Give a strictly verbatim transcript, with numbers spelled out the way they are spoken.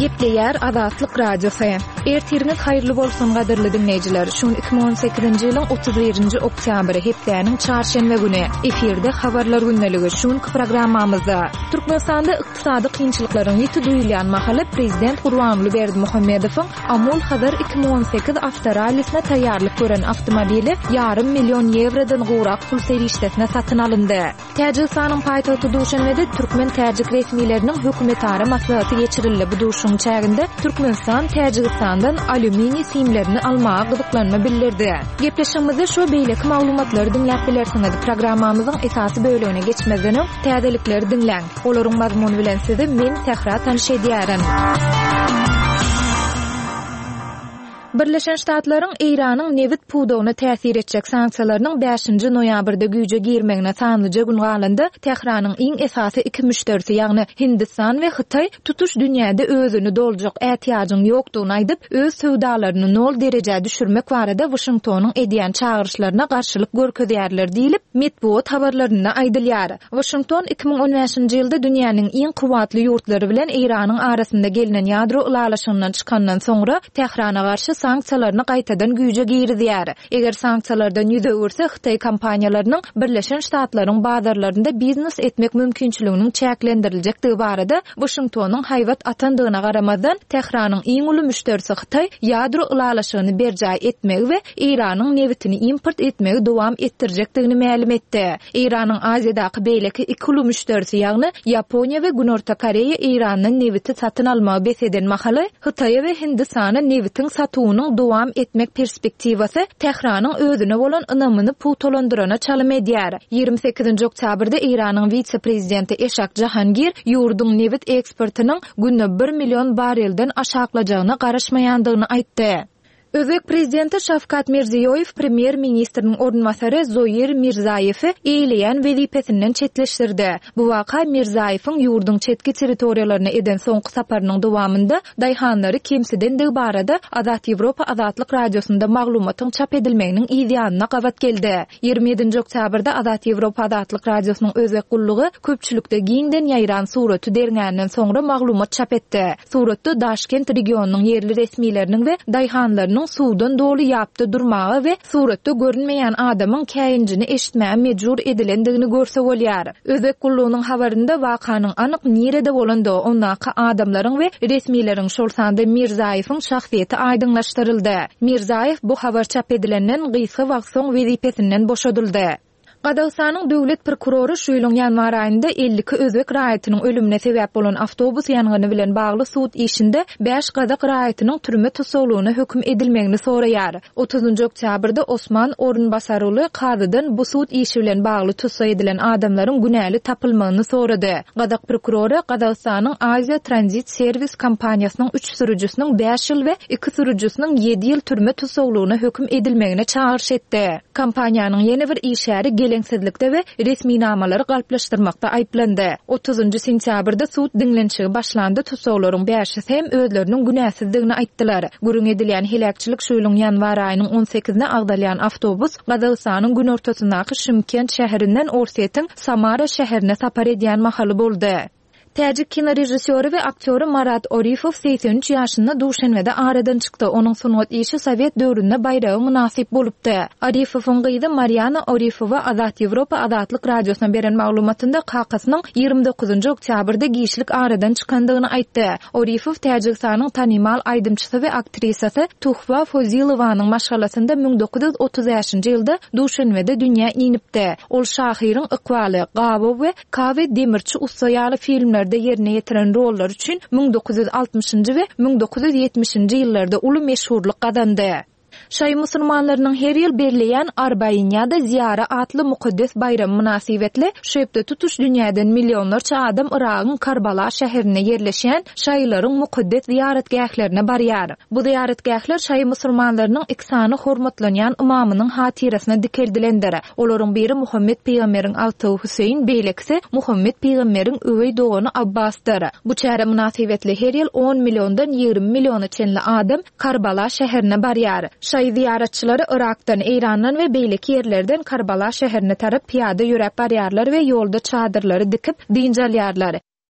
Gepleýär Azatlyk Radiosy. Ertiriňiz haýyrly bolsun gadyrly diňleýjiler. Şu gün iki müň on sekizinji ýylyň otuz birinji oktýabry, hepdäniň çarşenbe güni. Efirde Habarlar gündeligi. Şu günki programmamyzda Türkmenistanda ykdysady kynçylyklaryň ýiti duýulýan mahaly Prezident Gurbanguly Berdimuhamedowyň Amul Hazar iki müň on sekiz awtorallisine taýýarlyk gören awtomobili ýarym million ýewrodan gowrak pul serişdesine satyn alyndy. Täjigistanyň paýtagty Duşanbede türkmen-täjik resmileriniň hökümetara maslahaty geçirildi. Bu duşuşygyň çäginde Türkmenistan Täjigistandan alýuminiý simlerini almaga gyzyklanma bildirdi. Gepleşigimizde şu beýleki maglumatlary diňläp bilersiňiz. Programmamyzyň esasy bölegine geçmezden öň täzelikleri diňläň. Olaryň mazmuny bilen sizi men Sähra tanyş edýärin. Birleşen Ştatlaryň Eýranyň nebit pudagyna täsir etjek sanksiýalarynyň bäşinji noýabrda güýje girmegine sanlyja gün galanda, Tähranyň iň esasy iki müşderisi, ýagny Hindistan we Hytaý tutuş dünýäde özüni doljak ätiýajyň ýokdugyny aýdyp, öz söwdalaryny nol derejä düşürmek barada Waşingtonyň edýän çagyryşlaryna garşylyk görkezýärler diýlip, metbugat habarlarynda aýdylýar. Waşington iki müň on bäşinji ýylda dünýäniň iň kuwwatly ýurtlary bilen Eýranyň arasynda gelnen ýadro ylalaşygyndan çykandan soňra Tährana garşy sanksiýalaryny gaýtadan güýje girizýär. Eger sanksiýalardan ýüz öwürse, Hytaý kompaniýalarynyň Birleşen Ştatlaryň bazarlarynda biznes etmek mümkinçiliginiň çäklendiriljekdigi barada Waşingtonyň haýbat atandygyna garamazdan, Tähranyň iň uly müşderisi Hytaý ýadro ylalaşygyny berjaý etmegi we Eýranyň nebitini import etmegi dowam etdirjekdigini mälim etdi. Eýranyň Aziýadaky beýleki iki uly müşderisi, ýagny Ýaponiýa we Günorta Koreýa Eýrandan nebiti satyn almagy bes eden mahaly, Hytaýa we Hindistana nebitiň satuwynyň dowam etmek perspektiwasy Tähranyň özüne bolan ynamyny pugtalandyrana çalym edýär. Ýigrimi sekizinji oktýabrda Eýranyň wise-prezidenti Eşak Jahangir ýurduň nebit eksportynyň günde bir million barelden aşaklajagyna garaşmaýandygyny aýtdy. Özbek prezidenti Şawkat Mirziýoýew premýer-ministriniň orunbasary Zoir Mirzaýewi eýleýän wezipesinden çetleşdirdi. Bu waka Mirzaýewiň ýurduň çetki territoriýalaryna eden soňky saparynyň dowamynda daýhanlary kemsidendigi barada Azat Ýewropa Azatlyk Radiosynda maglumatyň çap edilmeginiň yz ýanyna gabat geldi. Ýigrimi ýedinji oktýabrda Azat Ýewropa Azatlyk Radiosynyň özbek gullugy köpçülikde giňden ýaýran suraty derňänden soňra maglumat çap etdi. Suratda Daşkent regionynyň ýerli resmileriniň we daýhanlarynyň suwdan doly ýapda durmaga we suratda görünmeýän adamyň käýinjini eşitmäge mejbur edilendigini görse bolýar. Özbek gullugynyň habarynda wakanyň anyk nirede bolandygy, ondaky adamlaryň we resmileriň, şol sanda Mirzaýewiň şahsyýeti aýdyňlaşdyryldy. Mirzaýew bu habar çap edilenden gysga wagt soň wezipesinden boşadyldy. Gazagystanyň döwlet prokurory şu ýylyň ýanwar aýynda elli iki özbek raýatynyň ölümine sebäp bolan awtobus ýangyny bilen bagly sud işinde bäş gazak raýatynyň türme tussaglygyna höküm edilmegini soraýar. Otuzynjy oktýabrda Osman Orunbasaruly kazydan bu sud işi bilen bagly tussag edilen adamlaryň günäli tapylmagyny sorady. Gazak prokurory Gazagystanyň Aziýa Tranzit Serwis kompaniýasynyň üç sürüjisiniň bäş ýyl we iki sürüjisiniň ýedi ýyl türme tussaglygyna höküm edilmegine çagyryş etdi. Kompaniýanyň ýene bir işgäri geleňsizlikde we resminamalary galplaşdyrmakda aýyplandy. Otuzynjy sentýabrda sud diňlenişigi başlandy, tussaglaryň bäşisi hem özleriniň günäsizdigini aýtdylar. Gürrüň edilýän heläkçilik şu ýylyň ýanwar aýynyň on sekizine agdalýan awtobus Gazagystanyň günortasyndaky Şymkent şäherinden Orsýetiň Samara şäherine sapar edýän mahaly boldy. Täjik kinorežissýory we aktýory Marat Orifow segsen üç ýaşynda Duşenbede aradan çykdy. Onuň sungat işi Sowet döwründe baýraga mynasyp bolupdy. Orifowyň gyzy Mariana Orifowa Azat Ýewropa Azatlyk Radiosyna beren maglumatynda kakasynyň ýigrimi dokuzynjy oktýabrda giçlik aradan çykandygyny aýtdy. Orifow Täjigistanyň tanymal aýdymçysy we aktrisasy Tuhfa Fozilowanyň maşgalasynda müň dokuz ýüz otuz bäşinji ýylda Duşenbede dünýä inipdi. Ol şahyryň ykbaly, Gabow we Kawe Demirçi ussa ýaly filmlerde ýerine ýetiren rollar üçin müň dokuz ýüz altmyşynjy we müň dokuz ýüz ýetmişinji ýyllarda uly meşhurlyk gazandy. Şaý musulmanlarynyň her ýyl belleýän Arbain ýa-da Ziýara atly mukaddes baýramy mynasybetli şu hepde tutuş dünýäden millionlarça adam Yragyň Karbala şäherinde ýerleşýän şaýylaryň mukaddes ziýaratgählerine barýar. Bu ziýaratgähler şaýy musulmanlarynyň iki sany hormatlanýan ymamynyň hatyrasyna dikeldilendir. Olaryň biri Muhammet pygamberiň agtygy Hüseýin, beýlekisi Muhammet pygamberiň öweý dogany Abbasdyr. Bu çäre mynasybetli her ýyl on milliondan ýigrimi milliona çenli adam Karbala şäherine barýar. Şaýy ziýaratçylary Yrakdan, Eýrandan we beýleki ýerlerden Karbala şäherine tarap pyýada ýöräp barýarlar we ýolda çadyrlary dikip, dynç alýarlar.